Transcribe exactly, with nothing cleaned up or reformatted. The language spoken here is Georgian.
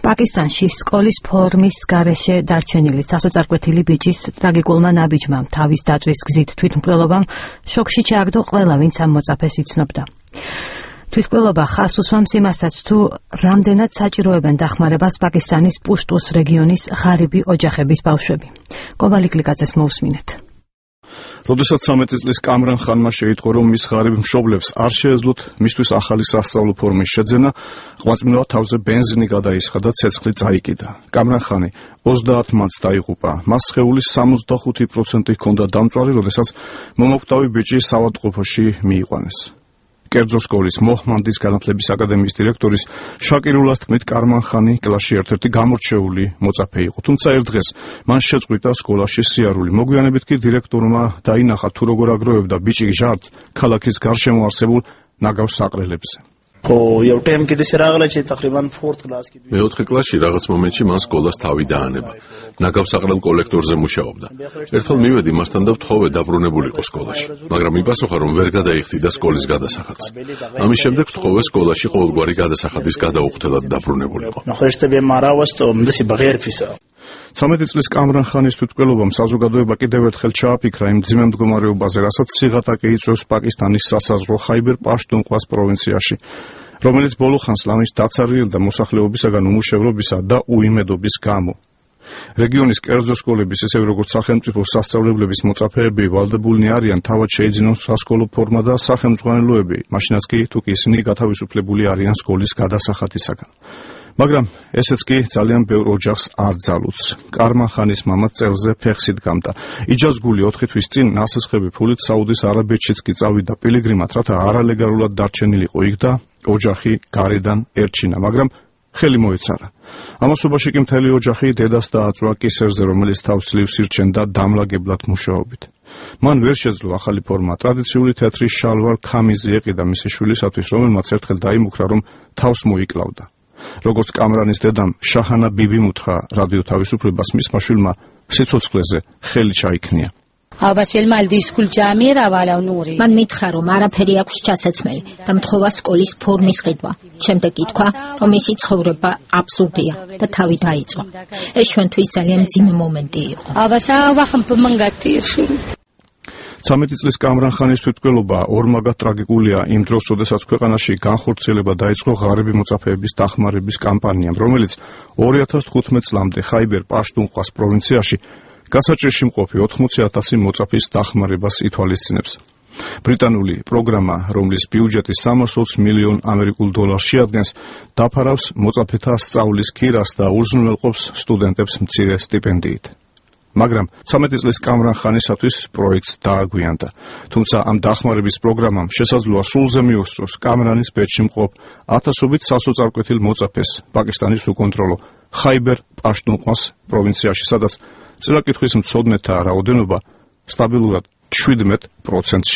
პაკისტანში სკოლის ფორმის გარეშე დარჩენილი სასოწარკვეთილი ბიჭის ტრაგიკულმა ნაბიჯმა თავის დაწვის გზით თვითმკვლელობამ შოქში ჩააგდო ყველა, ვინც ამ მოწაფეს იცნობდა. თვითმკვლელობა ხაზს უსვამს იმასაც, თუ რამდენად საჭიროებენ დახმარებას პაკისტანის პუშტუს რეგიონის ღარიბი ოჯახების ბავშვები. კობალი კლიკაძეს მოусმინეთ. როდესაც ცამეტი წლის კამრან ხანმა შეიტყო, რომ მის ღარიბ მშობლებს არ შეეძლოთ მისთვის ახალი სასწავლო ფორმის შეძენა, ღვაწმინდა თავზე ბენზინი გადაისხა და ცეცხლი წაიკიდა. კამრან ხანი ოცდაათ მარტს დაიღუპა. მას სხეულის სამოცდახუთი პროცენტი ჰქონდა დამწვარი, როდესაც მომოკვდავი ბიჭი საავადმყოფოში მიიყვანეს. კერძო სკოლის მოჰმანდის განათლების აკადემიის დირექტორის შაკირულას თქმით, კამრან ხანი კლასში ერთ-ერთი გამორჩეული მოწაფე იყო. თუმცა ერთ დღეს მან შეწყვიტა სკოლაში სიარული. მოგვიანებით კი დირექტორმა დაინახა, თუ როგორ აგროვებდა ბიჭი ჟარდს ქალაქის გარშემო არსებულ ნაგავ საყრელებზე. მეოთხე კლასში რაღაც მომენტში მან სკოლას თავი დაანება. ნაგავსაყრელ კოლექტორზე მუშაობდა. ერთხელ მივედი მასთან და ვთხოვე დაბრუნებულიყო სკოლაში, მაგრამ მიპასუხა, რომ ვერ გადაიხდიდა სკოლის გადასახადს. ამის შემდეგ ვთხოვე სკოლაში ყოველგვარი გადასახადის გადაუხდელად დაბრუნებულიყო. ცამეტი წლის კამრან ხანის თვითმკვლელობამ საზოგადოება კიდევ ერთხელ ჩააფიქრა იმ მძიმე მდგომარეობაზე, რასაც სიღატაკე იწვევს პაკისტანის სასაზღვრო ხაიბერ პაშტუნყვას პროვინციაში, რომელიც ბოლო ხანს ლამის დაცარიელ და მოსახლეობისაგან უმუშევრობისა და უიმედობის გამო. რეგიონის კერძო სკოლების, ისევე როგორც სახელმწიფო სასწავლებლების მოწაფეები ვალდებულნი არიან თავად შეიძინონ სასკოლო ფორმა და სახელმძღვანელოები, მაშინაც კი თუ კი ისინი გათავისუფლებული არიან სკოლის გადასახადისაგან. მაგრამ ესეც კი ძალიან ბევრ ოჯახს არ ძალუძს. კამრან ხანის მამა წელზე ფეხს იდგამდა. იჯაზგული ოთხი თვის წინ ნასესხები ფულით საუდის არაბეთშიც კი წავიდა პილიგრიმად, რათა არალეგალურად დარჩენილიყო იქ და ოჯახი გარედან ერჩინა, მაგრამ ხელი მოეცარა. ამასობაში კი მთელი ოჯახი დედას დააწვა კისერზე, რომელიც თავს ძლივს ირჩენდა დამლაგებლად მუშაობით. მან ვერ შეძლო ახალი ფორმა. ტრადიციული თეთრი შალვარ ქამიზი ეყიდა მისი შვილისათვის, რომელმაც ერთხელ დაიმუქრა, რომ თავს მოიკლავდა. როგორც კამრანის დედამ შაჰანა ბიბიმ უთხრა რადიო თავისუფლებას, მისმა შვილმა სიცოცხლეზე ხელი ჩაიქნია. მან მითხრა, რომ არაფერი აქვს ჩასაცმელი და მთხოვა სკოლის ფორმის ყიდვა. შემდეგ ითქვა, რომ მისი ცხოვრება აბსურდია და თავი დაიწყო. ეს ჩვენთვის ძალიან მძიმე მომენტი იყო. ცამეტი წლის კამრან ხანის თვითმკვლელობა ორმაგად ტრაგიკულია იმ დროს, როდესაც ქვეყანაში განხორციელება დაიწყო ღარიბი მოწაფეების დახმარების კამპანიამ, რომელიც ორი ათას თხუთმეტ წლამდე ხაიბერ პაშტუნყვას პროვინციაში გასაჭირში მყოფი ოთხმოცი ათასი მოწაფის დახმარებას ითვალისწინებს. ბრიტანული პროგრამა, რომლის ბიუჯეტი სამას ოცი მილიონ ამერიკულ დოლარს შეადგენს, დაფარავს მოწაფეთა სწავლის ქირას და უზრუნველყოფს სტუდენტებს მცირე სტიპენდიით. მაგრამ ცამეტი წლის კამრან ხანისათვის პროექტს დააგვიანდა. თუმცა ამ დახმარების პროგრამამ შესაძლოა სულზე მიუსწროს კამრანის ბედში მყოფ ათასობით სასოწარკვეთილ მოწაფეს პაკისტანის უკონტროლო ხაიბერ პაშტუნყვას პროვინციაში, სადაც წინა კითხვის მცოდნეთა რაოდენობა სტაბილურად შვიდმეტ პროცენტში